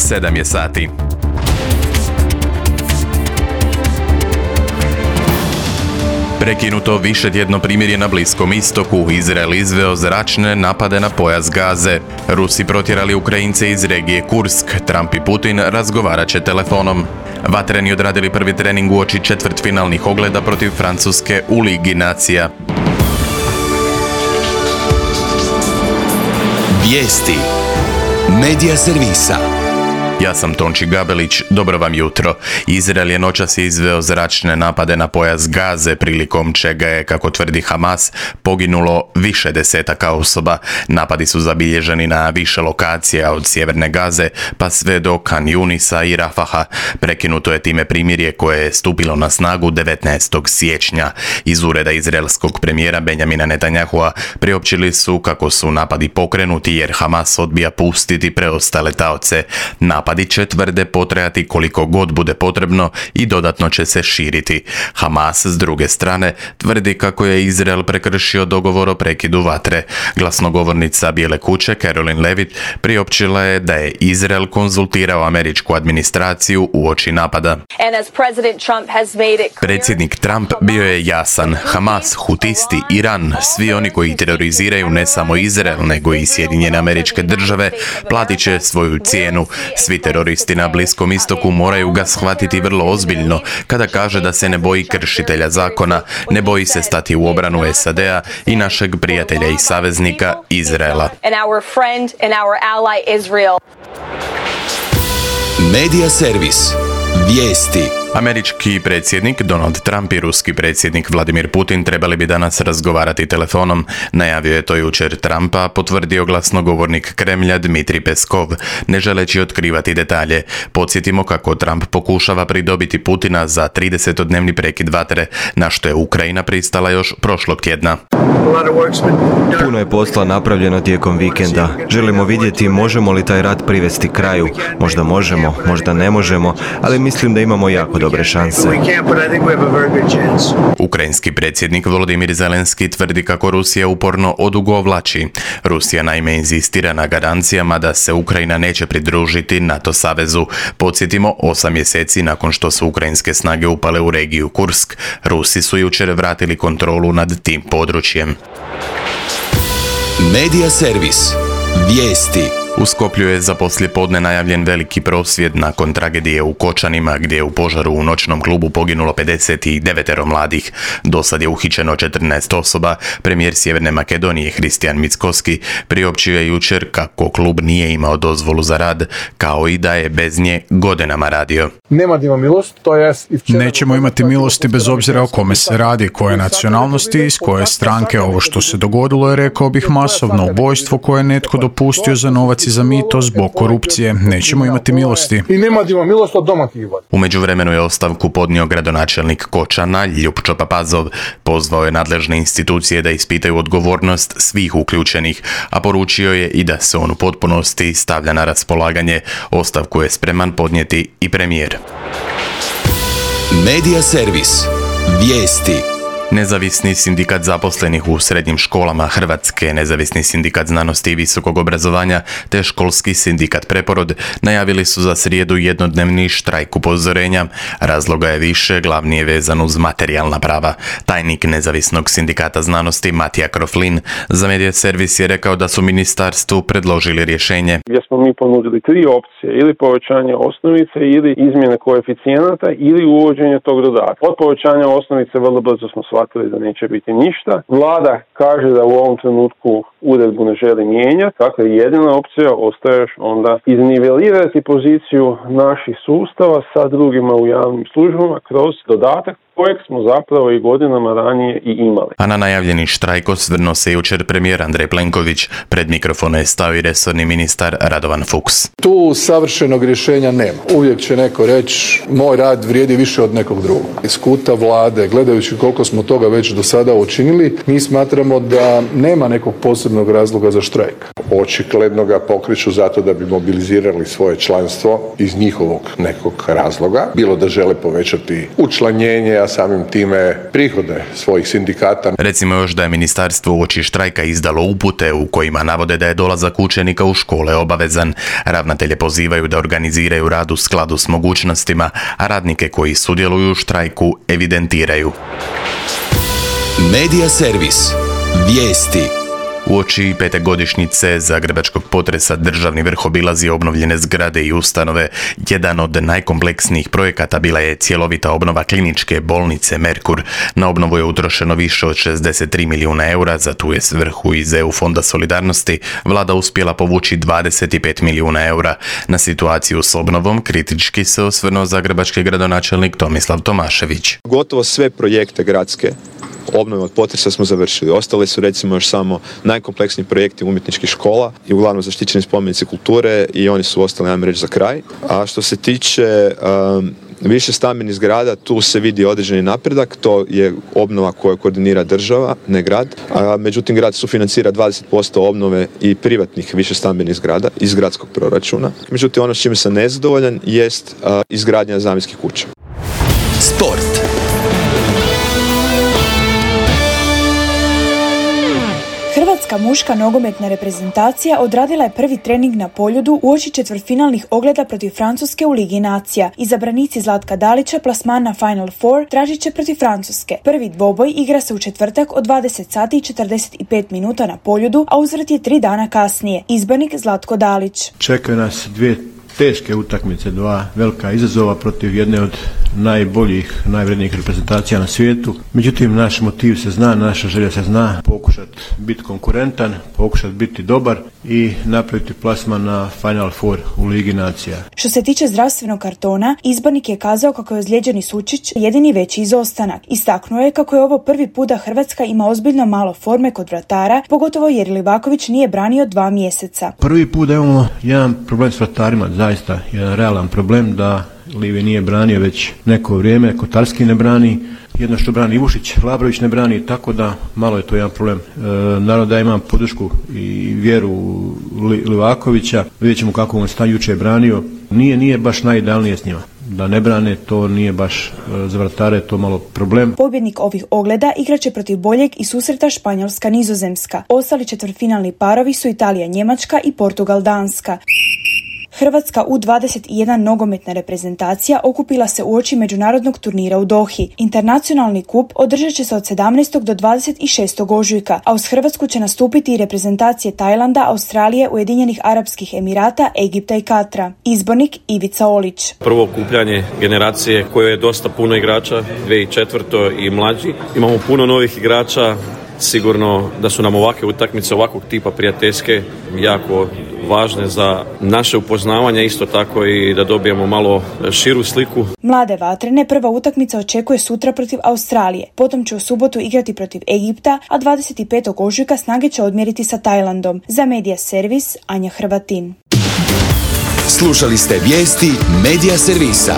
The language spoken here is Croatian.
7 je sati. Prekinuto višetjedno primirje na Bliskom istoku, Izrael izveo zračne napade na pojas Gaze. Rusi protjerali Ukrajince iz regije Kursk, Trump i Putin razgovarat će telefonom. Vatreni odradili prvi trening uoči četvrtfinalnih ogleda protiv Francuske u Ligi nacija. Vijesti Medija servisa. Ja sam Tonči Gabelić, dobro vam jutro. Izrael je noćas izveo zračne napade na pojas Gaze, prilikom čega je, kako tvrdi Hamas, poginulo više desetaka osoba. Napadi su zabilježeni na više lokacija od sjeverne Gaze pa sve do Kan Junisa i Rafaha. Prekinuto je time primirje koje je stupilo na snagu 19. siječnja. Iz ureda izraelskog premijera Benjamina Netanyahua priopćili su kako su napadi pokrenuti jer Hamas odbija pustiti preostale taoce. Napadi će, tvrde, potrajati koliko god bude potrebno i dodatno će se širiti. Hamas, s druge strane, tvrdi kako je Izrael prekršio dogovor o prekidu vatre. Glasnogovornica Bijele kuće, Caroline Levitt, priopćila je da je Izrael konzultirao američku administraciju uoči napada. Predsjednik Trump bio je jasan. Hamas, Hutisti, Iran, svi oni koji teroriziraju ne samo Izrael, nego i Sjedinjene Američke Države, platit će svoju cijenu. Svi teroristi na Bliskom istoku moraju ga shvatiti vrlo ozbiljno kada kaže da se ne boji kršitelja zakona, ne boji se stati u obranu SAD-a i našeg prijatelja i saveznika Izraela. Medija servis. Vijesti. Američki predsjednik Donald Trump i ruski predsjednik Vladimir Putin trebali bi danas razgovarati telefonom. Najavio je to jučer Trumpa, potvrdio glasnogovornik Kremlja Dmitrij Peskov, ne želeći otkrivati detalje. Podsjetimo kako Trump pokušava pridobiti Putina za 30-dnevni prekid vatre, na što je Ukrajina pristala još prošlog tjedna. Puno je posla napravljeno tijekom vikenda. Želimo vidjeti možemo li taj rat privesti kraju. Možda možemo, možda ne možemo, ali mislim da imamo jako dobre šanse. Ukrajinski predsjednik Volodimir Zelenski tvrdi kako Rusija uporno odugovlači. Rusija naime inzistira na garancijama da se Ukrajina neće pridružiti NATO savezu. Podsjetimo, 8 mjeseci nakon što su ukrajinske snage upale u regiju Kursk, Rusi su jučer vratili kontrolu nad tim područjem. Medija servis. Vijesti. U Skoplju je za poslijepodne najavljen veliki prosvjed nakon tragedije u Kočanima, gdje je u požaru u noćnom klubu poginulo 59 mladih. Dosad je uhićeno 14 osoba. Premijer Sjeverne Makedonije Hristijan Mickoski priopćio je jučer kako klub nije imao dozvolu za rad, kao i da je bez nje godinama radio. Nećemo imati milosti bez obzira o kome se radi, koje nacionalnosti, iz koje stranke. Ovo što se dogodilo je, rekao bih, masovno ubojstvo koje je netko dopustio za novac i za mito zbog korupcije. Nećemo imati milosti. U međuvremenu je ostavku podnio gradonačelnik Kočana Ljupčo Papazov. Pozvao je nadležne institucije da ispitaju odgovornost svih uključenih, a poručio je i da se on u potpunosti stavlja na raspolaganje. Ostavku je spreman podnijeti i premijer. Medija servis. Vijesti. Nezavisni sindikat zaposlenih u srednjim školama Hrvatske, Nezavisni sindikat znanosti i visokog obrazovanja te Školski sindikat Preporod najavili su za srijedu jednodnevni štrajk upozorenja. Razloga je više, glavni je vezan uz materijalna prava. Tajnik Nezavisnog sindikata znanosti Matija Kroflin za Medija servis je rekao da su ministarstvu predložili rješenje. Gdje smo mi ponudili 3 opcije, ili povećanje osnovice, ili izmjene koeficijenata, ili uvođenje tog dodatka. Od povećanja osnovice vrlo brzo smo shvatili da neće biti ništa. Vlada kaže da u ovom trenutku uredbu ne želi mijenjati, dakle jedina opcija ostaje onda iznivelirati poziciju naših sustava sa drugima u javnim službama kroz dodatak kojeg smo zapravo i godinama ranije i imali. A na najavljeni štrajk osvrnuo se jučer premijer Andrej Plenković. Pred mikrofone je stao i resorni ministar Radovan Fuchs. Tu savršenog rješenja nema. Uvijek će neko reći moj rad vrijedi više od nekog drugog. Iz kuta vlade, gledajući koliko smo toga već do sada učinili, mi smatramo da nema nekog posebnog razloga za štrajk. Očigledno ga pokreću zato da bi mobilizirali svoje članstvo iz njihovog nekog razloga. Bilo da žele povećati učlanjenje, a samim time prihode svojih sindikata. Recimo još da je ministarstvo uoči štrajka izdalo upute u kojima navode da je dolazak učenika u škole obavezan. Ravnatelje pozivaju da organiziraju rad u skladu s mogućnostima, a radnike koji sudjeluju u štrajku evidentiraju. Medija servis. Vijesti. Uoči 5. godišnjice zagrebačkog potresa državni vrh obilazi obnovljene zgrade i ustanove. Jedan od najkompleksnijih projekata bila je cjelovita obnova kliničke bolnice Merkur. Na obnovu je utrošeno više od 63 milijuna eura, za tu je svrhu iz EU fonda solidarnosti vlada uspjela povući 25 milijuna eura. Na situaciju s obnovom kritički se osvrnuo zagrebački gradonačelnik Tomislav Tomašević. Gotovo sve projekte gradske obnove od potresa smo završili. Ostali su recimo još samo najkompleksniji projekti umjetničkih škola i uglavnom zaštićeni spomenici kulture i oni su ostali, ajmo reći, za kraj. A što se tiče više stambenih zgrada, tu se vidi određeni napredak, to je obnova koju koordinira država, ne grad. Međutim, grad sufinancira 20% obnove i privatnih više stambenih zgrada iz gradskog proračuna. Međutim, ono s čime sam nezadovoljan jest izgradnja zamjenskih kuća. Sport. Hrvatska muška nogometna reprezentacija odradila je prvi trening na Poljudu uoči četvrtfinalnih ogleda protiv Francuske u Ligi nacija. Izabranici Zlatka Dalića plasman na Final Four tražit će protiv Francuske. Prvi dvoboj igra se u četvrtak od 20 sati i 45 minuta na Poljudu, a uzvrat je 3 dana kasnije. Izbornik Zlatko Dalić. Čekaju nas dvije teške utakmice, dva velika izazova protiv jedne od najboljih, najvrednijih reprezentacija na svijetu. Međutim, naš motiv se zna, naša želja se zna, pokušati biti konkurentan, pokušati biti dobar i napraviti plasman na Final Four u Ligi nacija. Što se tiče zdravstvenog kartona, izbornik je kazao kako je ozlijeđeni Sučić jedini veći izostanak. Istaknuo je kako je ovo prvi put da Hrvatska ima ozbiljno malo forme kod vratara, pogotovo jer Livaković nije branio 2 mjeseca. Prvi put da imamo jedan problem s vratarima, zaista jedan realan problem da Livi nije branio već neko vrijeme, Kotarski ne brani, jedno što brani Ivušić, Labrović ne brani, tako da malo je to jedan problem. Naravno da imam podršku i vjeru Livakovića, vidjet ćemo kako on stan jučer je branio, nije baš najidealnije s njima. Da ne brane, to nije baš za vratare, to malo problem. Pobjednik ovih ogleda igraće protiv boljeg i susreta Španjolska-Nizozemska. Ostali četvrtfinalni parovi su Italija-Njemačka i Portugal-Danska. Hrvatska U21 nogometna reprezentacija okupila se uoči međunarodnog turnira u Dohi. Internacionalni kup održat će se od 17. do 26. ožujka, a uz Hrvatsku će nastupiti i reprezentacije Tajlanda, Australije, Ujedinjenih Arapskih Emirata, Egipta i Katra. Izbornik Ivica Olić. Prvo okupljanje generacije koje je dosta puno igrača, 2004. i mlađi. Imamo puno novih igrača. Sigurno da su nam ovakve utakmice, ovakvog tipa prijateljske, jako važne za naše upoznavanje, isto tako i da dobijemo malo širu sliku. Mlade vatrene prva utakmica očekuje sutra protiv Australije, potom će u subotu igrati protiv Egipta, a 25. ožujka snage će odmjeriti sa Tajlandom. Za Medija servis, Anja Hrvatin. Slušali ste vijesti Medija servisa.